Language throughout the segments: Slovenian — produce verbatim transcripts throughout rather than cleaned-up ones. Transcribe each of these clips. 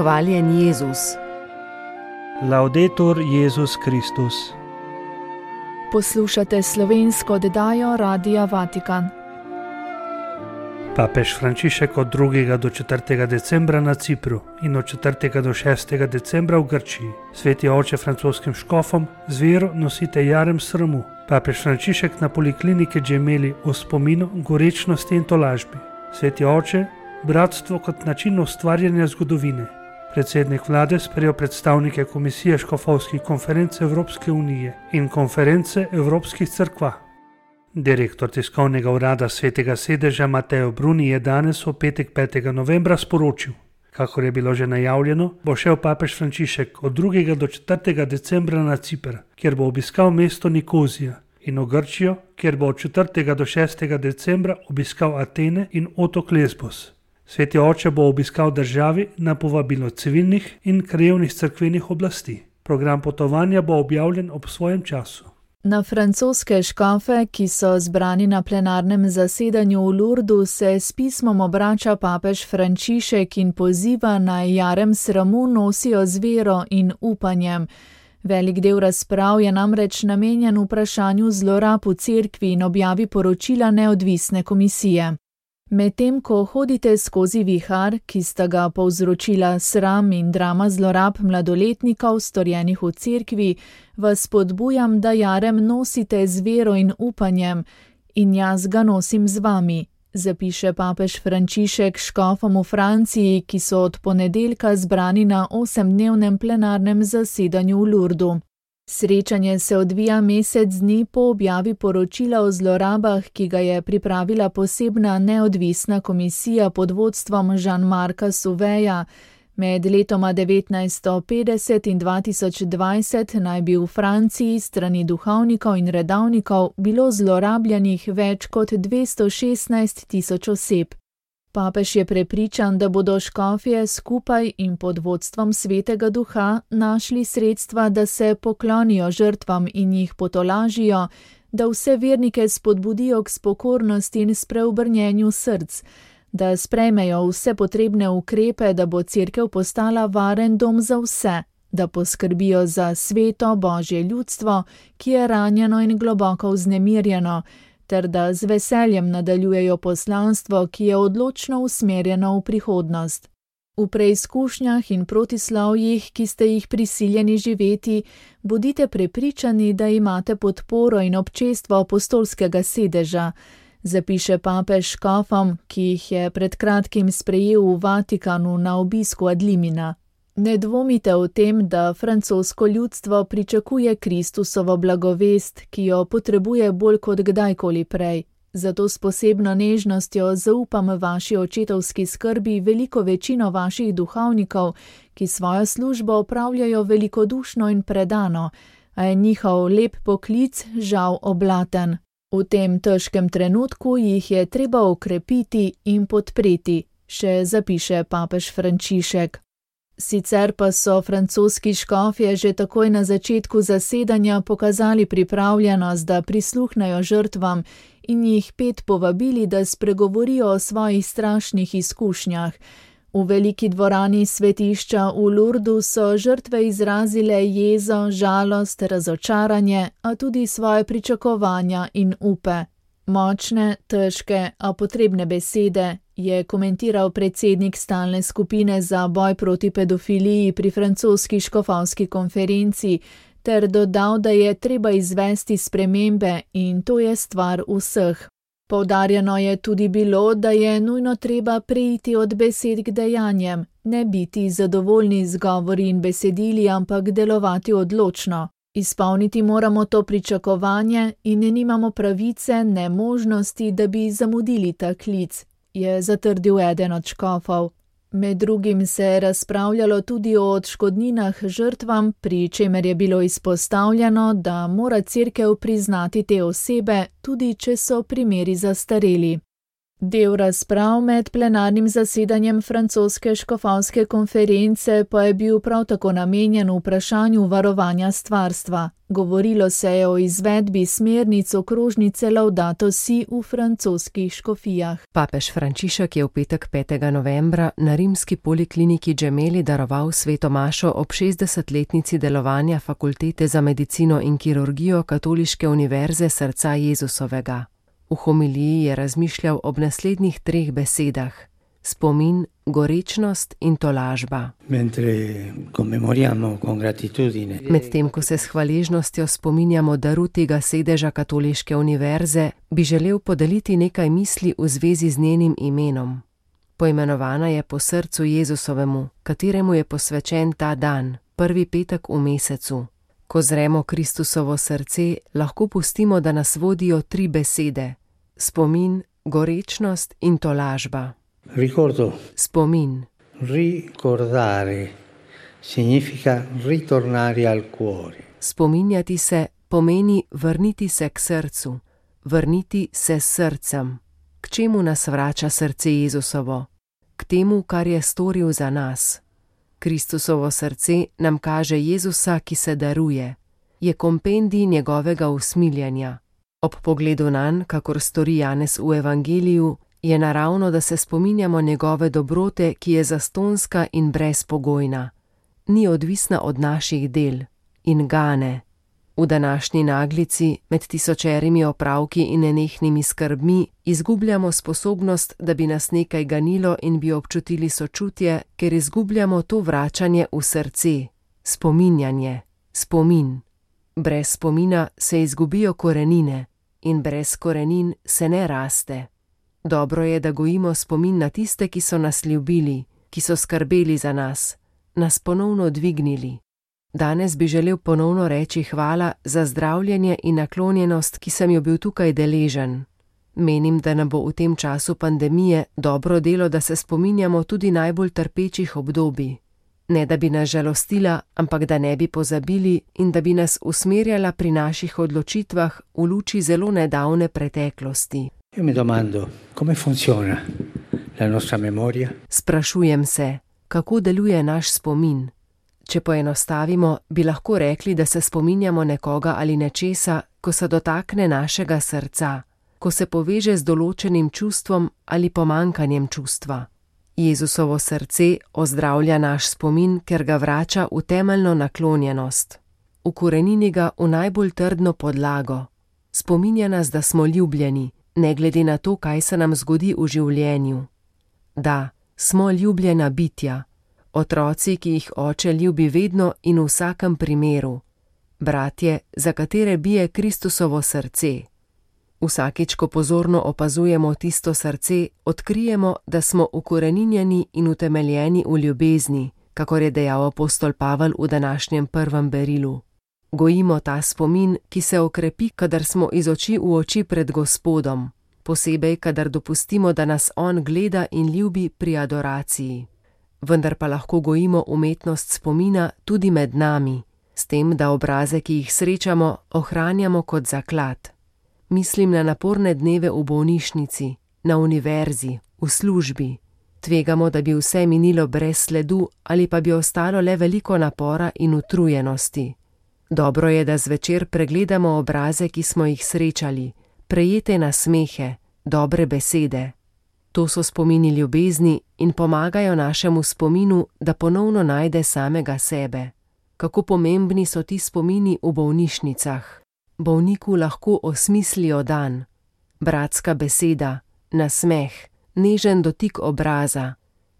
Hvaljen Jezus. Laudetur Jezus Kristus. Poslušate slovensko oddajo Radia Vatikan. Papež Frančišek od drugega do četrtega decembra na Cipru in od četrtega do šestega decembra v Grčiji. Sveti oče francoskim škofom z vero nosite jarem sramu. Papež Frančišek na polikliniki Gemelli o spominu, gorečnosti in tolažbi. Sveti oče, bratstvo kot način ustvarjanja zgodovine. Predsednik vlade sprejel predstavnike Komisije škofovskih konferenc Evropske unije in konference Evropskih cerkva. Direktor tiskovnega urada Svetega sedeža Matteo Bruni je danes v petek petega novembra sporočil: kakor je bilo že najavljeno, bo šel papež Frančišek od drugega do četrtega decembra na Ciper, kjer bo obiskal mesto Nikozija, in v Grčijo, kjer bo od četrtega do šestega decembra obiskal Atene in otok Lesbos. Sveti oče bo obiskal državi na povabilo civilnih in krajevnih cerkvenih oblasti. Program potovanja bo objavljen ob svojem času. Na francoske škofe, ki so zbrani na plenarnem zasedanju v Lourdu, se s pismom obrača papež Frančišek in poziva naj jarem sramu nosijo z vero in upanjem. Velik del razprav je namreč namenjen vprašanju zlorab v cerkvi in objavi poročila neodvisne komisije. Medtem ko hodite skozi vihar, ki sta ga povzročila sram in drama zlorab mladoletnikov, storjenih v cerkvi, vas spodbujam, da jarem nosite z vero in upanjem, in jaz ga nosim z vami, zapiše papež Frančišek škofom v Franciji, ki so od ponedeljka zbrani na osemdnevnem plenarnem zasedanju v Lourdu. Srečanje se odvija mesec dni po objavi poročila o zlorabah, ki ga je pripravila posebna neodvisna komisija pod vodstvom Jean-Marca Sauveja. Med letoma devetnajststo petdeset in dva tisoč dvajset naj bi v Franciji strani duhovnikov in redavnikov bilo zlorabljenih več kot dvesto šestnajst tisoč oseb. Papež je prepričan, da bodo škofje skupaj in pod vodstvom Svetega Duha našli sredstva, da se poklonijo žrtvam in jih potolažijo, da vse vernike spodbudijo k spokornosti in spreobrnjenju src, da sprejmejo vse potrebne ukrepe, da bo cerkev postala varen dom za vse, da poskrbijo za sveto Božje ljudstvo, ki je ranjeno in globoko vznemirjeno, ter da z veseljem nadaljujejo poslanstvo, ki je odločno usmerjeno v prihodnost. V preizkušnjah in protislovjih, ki ste jih prisiljeni živeti, bodite prepričani, da imate podporo in občestvo apostolskega sedeža, zapiše papež škofom, ki jih je pred kratkim sprejel v Vatikanu na obisku ad limina. Ne dvomite o tem, da francosko ljudstvo pričakuje Kristusovo blagovest, ki jo potrebuje bolj kot kdajkoli prej. Zato s posebno nežnostjo zaupam vaši očetovski skrbi veliko večino vaših duhovnikov, ki svojo službo opravljajo velikodušno in predano, a je njihov lep poklic žal oblaten. V tem težkem trenutku jih je treba okrepiti in podpreti, še zapiše papež Frančišek. Sicer pa so francoski škofje že takoj na začetku zasedanja pokazali pripravljenost, da prisluhnejo žrtvam in jih pet povabili, da spregovorijo o svojih strašnih izkušnjah. V veliki dvorani svetišča v Lourdu so žrtve izrazile jezo, žalost, razočaranje, a tudi svoje pričakovanja in upe. Močne, težke, a potrebne besede, je komentiral predsednik stalne skupine za boj proti pedofiliji pri francoski škofovski konferenci, ter dodal, da je treba izvesti spremembe in to je stvar vseh. Poudarjeno je tudi bilo, da je nujno treba preiti od besed k dejanjem, ne biti zadovoljni z govori in besedili, ampak delovati odločno. Izpolniti moramo to pričakovanje in ne nimamo pravice, ne možnosti, da bi zamudili ta klic, je zatrdil eden od škofov. Med drugim se je razpravljalo tudi o odškodninah žrtvam, pri čemer je bilo izpostavljeno, da mora cerkev priznati te osebe, tudi če so primeri zastareli. Del razprav med plenarnim zasedanjem francoske škofovske konference pa je bil prav tako namenjen vprašanju varovanja stvarstva. Govorilo se je o izvedbi smernic okrožnice Laudato Si v francoskih škofijah. Papež Frančišek je v petek petega novembra na rimski polikliniki Gemelli daroval sveto mašo ob šestdesetletnici delovanja Fakultete za medicino in kirurgijo Katoliške univerze srca Jezusovega. V homiliji je razmišljal ob naslednjih treh besedah: spomin, gorečnost in tolažba. Medtem ko se s hvaležnostjo spominjamo daru tega sedeža Katoliške univerze, bi želel podeliti nekaj misli v zvezi z njenim imenom. Poimenovana je po srcu Jezusovemu, kateremu je posvečen ta dan, prvi petek v mesecu. Ko zremo Kristusovo srce, lahko pustimo, da nas vodijo tri besede: spomin, gorečnost in tolažba. Ricordo. Spomin. Ricordare significa ritornare al cuore. Spominjati se pomeni vrniti se k srcu, vrniti se s srcem. K čemu nas vrača srce Jezusovo? K temu, kar je storil za nas. Kristusovo srce nam kaže Jezusa, ki se daruje. Je kompendij njegovega usmiljenja. Ob pogledu nanj, kakor stori Janez v Evangeliju, je naravno, da se spominjamo njegove dobrote, ki je zastonska in brezpogojna. Ni odvisna od naših del in gane. V današnji naglici, med tisočerimi opravki in nenehnimi skrbmi, izgubljamo sposobnost, da bi nas nekaj ganilo in bi občutili sočutje, ker izgubljamo to vračanje v srce, spominjanje, spomin. Brez spomina se izgubijo korenine in brez korenin se ne raste. Dobro je, da gojimo spomin na tiste, ki so nas ljubili, ki so skrbeli za nas, nas ponovno dvignili. Danes bi želel ponovno reči hvala za zdravljenje in naklonjenost, ki sem jo bil tukaj deležen. Menim, da nam bo v tem času pandemije dobro delo, da se spominjamo tudi najbolj trpečih obdobij. Ne da bi nas žalostila, ampak da ne bi pozabili in da bi nas usmerjala pri naših odločitvah v luči zelo nedavne preteklosti. Io mi domando, come funziona la nostra memoria? Sprašujem se, kako deluje naš spomin. Če poenostavimo, bi lahko rekli, da se spominjamo nekoga ali nečesa, ko se dotakne našega srca, ko se poveže z določenim čustvom ali pomankanjem čustva. Jezusovo srce ozdravlja naš spomin, ker ga vrača v temeljno naklonjenost. Ukorenini ga v najbolj trdno podlago. Spominja nas, da smo ljubljeni, ne glede na to, kaj se nam zgodi v življenju. Da, smo ljubljena bitja. Otroci, ki jih oče ljubi vedno in v vsakem primeru. Bratje, za katere bije Kristusovo srce. Vsakič, ko pozorno opazujemo tisto srce, odkrijemo, da smo ukoreninjeni in utemeljeni v ljubezni, kakor je dejal apostol Pavel v današnjem prvem berilu. Gojimo ta spomin, ki se okrepi, kadar smo iz oči v oči pred Gospodom, posebej, kadar dopustimo, da nas on gleda in ljubi pri adoraciji. Vendar pa lahko gojimo umetnost spomina tudi med nami, s tem, da obraze, ki jih srečamo, ohranjamo kot zaklad. Mislim na naporne dneve v bolnišnici, na univerzi, v službi. Tvegamo, da bi vse minilo brez sledu ali pa bi ostalo le veliko napora in utrujenosti. Dobro je, da zvečer pregledamo obraze, ki smo jih srečali, prejete nasmehe, dobre besede. To so spomini ljubezni in pomagajo našemu spominu, da ponovno najde samega sebe. Kako pomembni so ti spomini v bolnišnicah. Bolniku lahko osmislijo dan. Bratska beseda, nasmeh, nežen dotik obraza.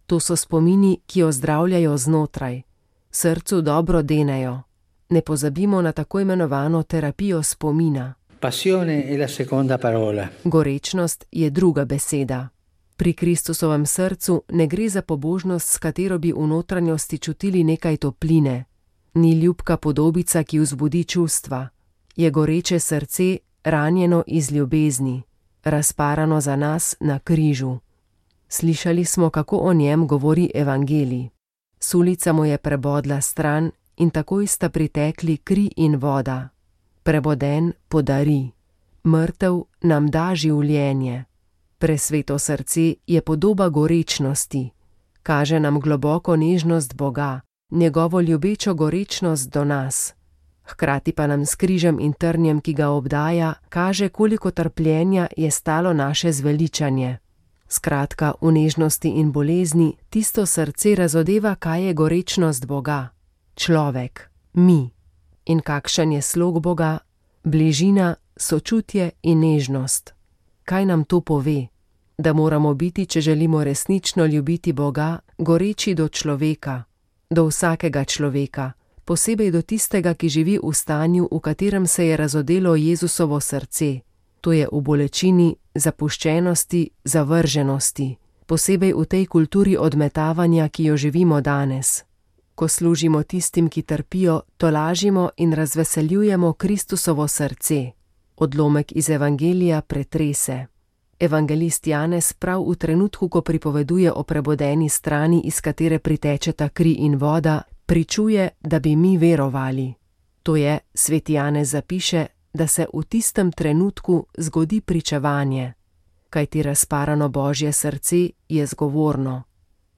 To so spomini, ki ozdravljajo znotraj. Srcu dobro denejo. Ne pozabimo na tako imenovano terapijo spomina. Passione è la seconda parola. Gorečnost je druga beseda. Pri Kristusovem srcu ne gre za pobožnost, s katero bi v notranjosti čutili nekaj topline. Ni ljubka podobica, ki vzbudi čustva. Je goreče srce, ranjeno iz ljubezni, razparano za nas na križu. Slišali smo, kako o njem govori Evangelij. Sulica mu je prebodla stran in takoj sta pritekli kri in voda. Preboden podari, mrtev nam da življenje. Presveto srce je podoba gorečnosti. Kaže nam globoko nežnost Boga, njegovo ljubečo gorečnost do nas. Hkrati pa nam s križem in trnjem, ki ga obdaja, kaže, koliko trpljenja je stalo naše zveličanje. Skratka, v nežnosti in bolezni tisto srce razodeva, kaj je gorečnost Boga. Človek, mi. In kakšen je slog Boga? Bližina, sočutje in nežnost. Kaj nam to pove? Da moramo biti, če želimo resnično ljubiti Boga, goreči do človeka, do vsakega človeka, posebej do tistega, ki živi v stanju, v katerem se je razodelo Jezusovo srce. To je v bolečini, zapuščenosti, zavrženosti, posebej v tej kulturi odmetavanja, ki jo živimo danes. Ko služimo tistim, ki trpijo, tolažimo in razveseljujemo Kristusovo srce. Odlomek iz Evangelija pretrese. Evangelist Janez prav v trenutku, ko pripoveduje o prebodeni strani, iz katere pritečeta kri in voda, pričuje, da bi mi verovali. To je, sveti Janez zapiše, da se v tistem trenutku zgodi pričevanje. Kajti razparano Božje srce je zgovorno.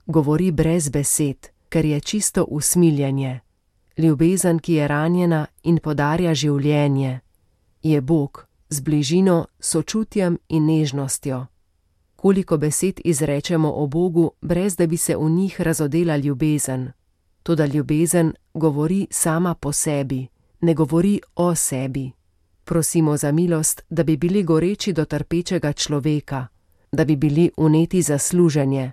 Govori brez besed, ker je čisto usmiljenje. Ljubezen, ki je ranjena in podarja življenje. Je Bog z bližino, sočutjem in nežnostjo. Koliko besed izrečemo o Bogu, brez da bi se v njih razodela ljubezen. Toda ljubezen govori sama po sebi, ne govori o sebi. Prosimo za milost, da bi bili goreči do trpečega človeka, da bi bili vneti za služenje,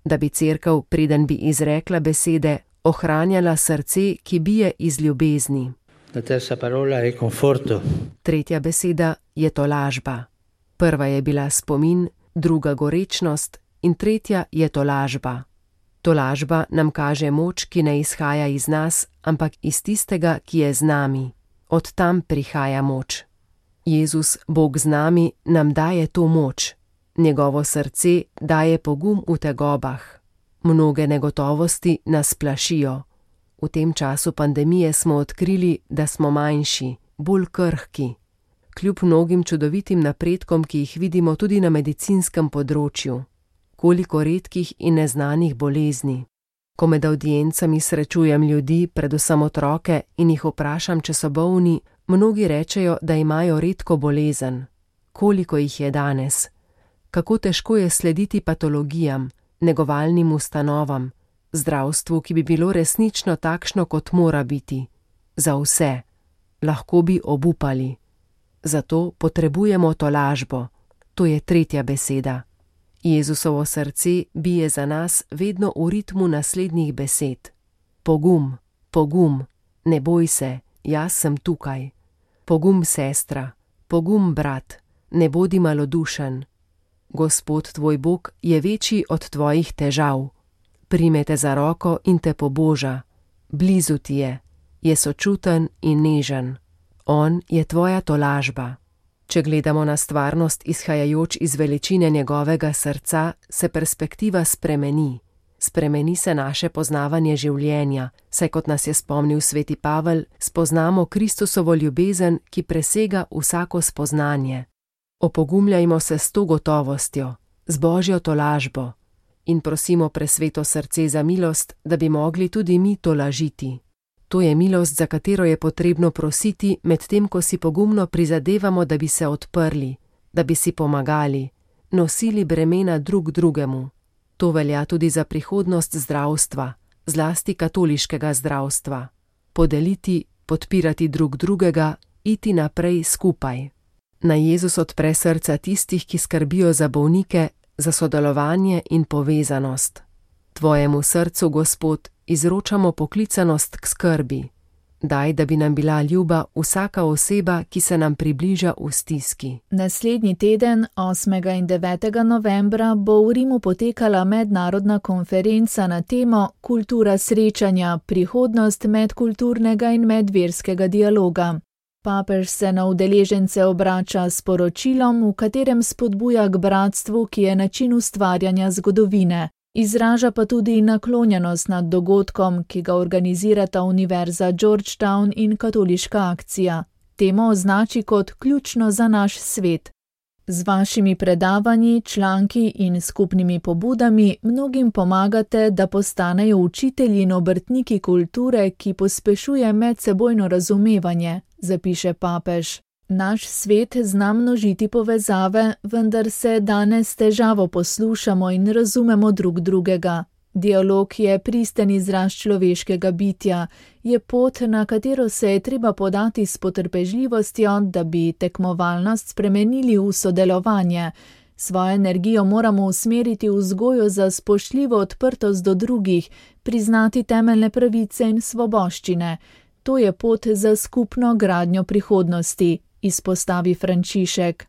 da bi cerkev, preden bi izrekla besede, ohranjala srce, ki bije iz ljubezni. La terza parola è conforto. Tretja beseda je tolažba. Prva je bila spomin, druga gorečnost in tretja je tolažba. Tolažba nam kaže moč, ki ne izhaja iz nas, ampak iz tistega, ki je z nami. Od tam prihaja moč. Jezus, Bog z nami, nam daje to moč. Njegovo srce daje pogum v tegobah. Mnoge negotovosti nas plašijo. V tem času pandemije smo odkrili, da smo manjši, bolj krhki. Kljub mnogim čudovitim napredkom, ki jih vidimo tudi na medicinskem področju. Koliko redkih in neznanih bolezni. Ko med avdiencami srečujem ljudi, predvsem otroke, in jih vprašam, če so bolni, mnogi rečejo, da imajo redko bolezen. Koliko jih je danes? Kako težko je slediti patologijam, negovalnim ustanovam, zdravstvu, ki bi bilo resnično takšno, kot mora biti. Za vse. Lahko bi obupali. Zato potrebujemo tolažbo. To je tretja beseda. Jezusovo srce bije za nas vedno v ritmu naslednjih besed. Pogum, pogum, ne boj se, jaz sem tukaj. Pogum, sestra, pogum, brat, ne bodi malodušen. Gospod tvoj Bog je večji od tvojih težav. Prime te za roko in te poboža. Blizu ti je, je sočuten in nežen. On je tvoja tolažba. Če gledamo na stvarnost izhajajoč iz veličine njegovega srca, se perspektiva spremeni. Spremeni se naše poznavanje življenja, saj kot nas je spomnil sveti Pavel, spoznamo Kristusovo ljubezen, ki presega vsako spoznanje. Opogumljajmo se s to gotovostjo, z Božjo tolažbo in prosimo presveto srce za milost, da bi mogli tudi mi tolažiti. To je milost, za katero je potrebno prositi, medtem ko si pogumno prizadevamo, da bi se odprli, da bi si pomagali, nosili bremena drug drugemu. To velja tudi za prihodnost zdravstva, zlasti katoliškega zdravstva. Podeliti, podpirati drug drugega, iti naprej skupaj. Naj Jezus odpre srca tistih, ki skrbijo za bolnike, za sodelovanje in povezanost. Tvojemu srcu, Gospod, izročamo poklicanost k skrbi. Daj, da bi nam bila ljuba vsaka oseba, ki se nam približa v stiski. Naslednji teden, osmega in devetega novembra, bo v Rimu potekala mednarodna konferenca na temo Kultura srečanja, prihodnost medkulturnega in medverskega dialoga. Papež se na udeležence obrača s poročilom, v katerem spodbuja k bratstvu, ki je način ustvarjanja zgodovine. Izraža pa tudi naklonjenost nad dogodkom, ki ga organizirata Univerza Georgetown in Katoliška akcija. Temo označi kot ključno za naš svet. Z vašimi predavanji, članki in skupnimi pobudami mnogim pomagate, da postanejo učitelji in obrtniki kulture, ki pospešuje medsebojno razumevanje, zapiše papež. Naš svet zna množiti povezave, vendar se danes s težavo poslušamo in razumemo drug drugega. Dialog je pristen izraz človeškega bitja, je pot, na katero se je treba podati s potrpežljivostjo, da bi tekmovalnost spremenili v sodelovanje. Svojo energijo moramo usmeriti v vzgojo za spoštljivo odprtost do drugih, priznati temeljne pravice in svoboščine. To je pot za skupno gradnjo prihodnosti, izpostavi Frančišek.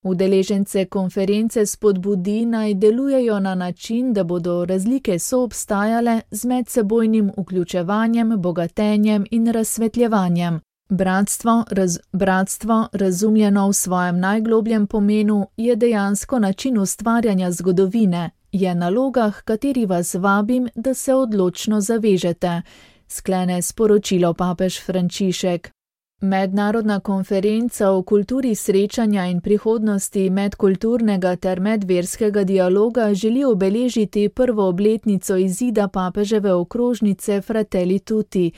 Udeležence konference spodbudi naj delujejo na način, da bodo razlike soobstajale z medsebojnim vključevanjem, bogatenjem in razsvetljevanjem. Bratstvo, raz, bratstvo, razumljeno v svojem najglobljem pomenu, je dejansko način ustvarjanja zgodovine, je naloga, h kateri vas vabim, da se odločno zavežete, sklene sporočilo papež Frančišek. Mednarodna konferenca o kulturi srečanja in prihodnosti medkulturnega ter medverskega dialoga želi obeležiti prvo obletnico izida papeževe okrožnice Fratelli Tutti,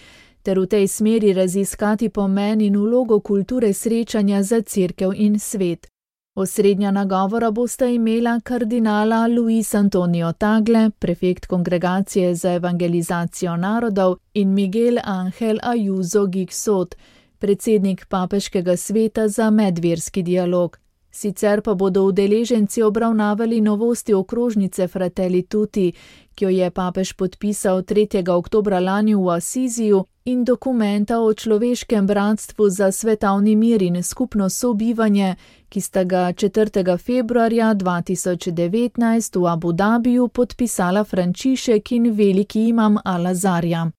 ter v tej smeri raziskati pomen in vlogo kulture srečanja za cerkev in svet. Osrednja nagovora bosta imela kardinala Luis Antonio Tagle, prefekt Kongregacije za evangelizacijo narodov, in Miguel Ángel Ayuso Gixot, predsednik papeškega sveta za medverski dialog. Sicer pa bodo udeleženci obravnavali novosti okrožnice Fratelli Tutti, ki jo je papež podpisal tretjega oktobra lani v Asiziju, in dokumenta o človeškem bratstvu za svetovni mir in skupno sobivanje, ki sta ga četrtega februarja dva tisoč devetnajst v Abu Dabiju podpisala Frančišek in veliki imam Al-Azarja.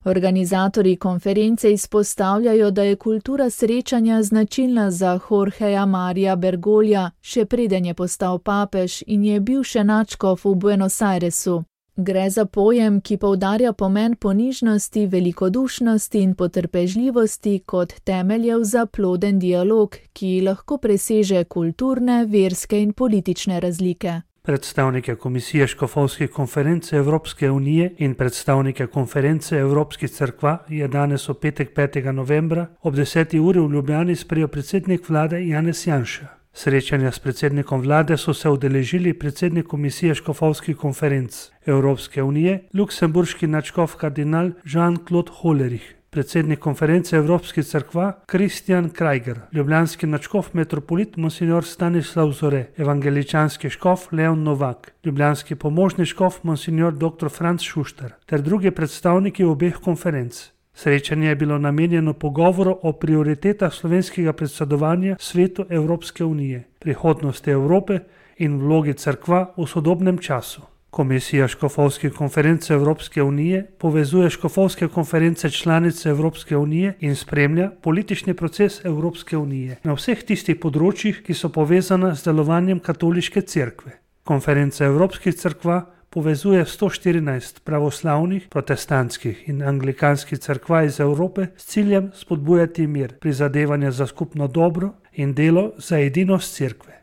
Organizatorji konference izpostavljajo, da je kultura srečanja značilna za Jorgeja Marija Bergolja, še preden je postal papež in je bil še nadškof v Buenos Airesu. Gre za pojem, ki poudarja pomen ponižnosti, velikodušnosti in potrpežljivosti kot temeljev za ploden dialog, ki lahko preseže kulturne, verske in politične razlike. Predstavnike Komisije škofovskih konferenc Evropske unije in predstavnike konference Evropskih cerkva je danes v petek petega novembra ob deseti uri v Ljubljani sprejel predsednik vlade Janez Janša. Srečanja s predsednikom vlade so se udeležili predsednik Komisije škofovskih konferenc Evropske unije, luksemburški nadškof kardinal Jean-Claude Hollerich, predsednik konference Evropskih cerkva Kristjan Krajger, ljubljanski nadškof metropolit monsignor Stanislav Zore, evangeličanski škof Leon Novak, ljubljanski pomožni škof monsignor dr. Franc Šuštar ter drugi predstavniki obeh konferenc. Srečanje je bilo namenjeno pogovoru o prioritetah slovenskega predsedovanja svetu Evropske unije, prihodnosti Evrope in vlogi cerkva v sodobnem času. Komisija škofovskih konferenc Evropske unije povezuje škofovske konference članice Evropske unije in spremlja politični proces Evropske unije na vseh tistih področjih, ki so povezana z delovanjem katoliške cerkve. Konferenca Evropskih cerkva povezuje sto štirinajst pravoslavnih, protestantskih in anglikanskih cerkva iz Evrope s ciljem spodbujati mir, prizadevanja za skupno dobro in delo za edinost cerkve.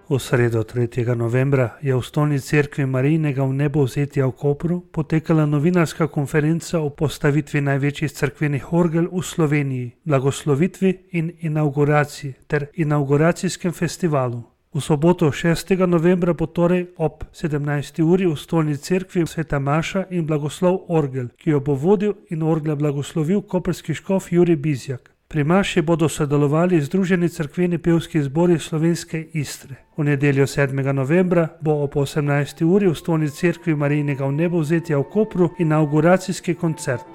V sredo tretjega novembra je v stolni cerkvi Marijinega vnebovzetja v Kopru potekala novinarska konferenca o postavitvi največjih cerkvenih orgel v Sloveniji, blagoslovitvi in inauguraciji ter inauguracijskem festivalu. V soboto šestega novembra bo torej ob sedemnajsti uri v stolni cerkvi sveta maša in blagoslov orgel, ki jo bo vodil in orgle blagoslovil koprski škof Jurij Bizjak. Pri maši bodo sodelovali Združeni cerkveni pevski zbori Slovenske Istre. V nedeljo sedmega novembra bo ob osemnajsti uri v stolni cerkvi Marijinega vnebovzetja v Kopru inauguracijski koncert.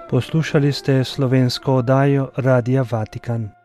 Poslušali ste slovensko oddajo Radia Vatikan.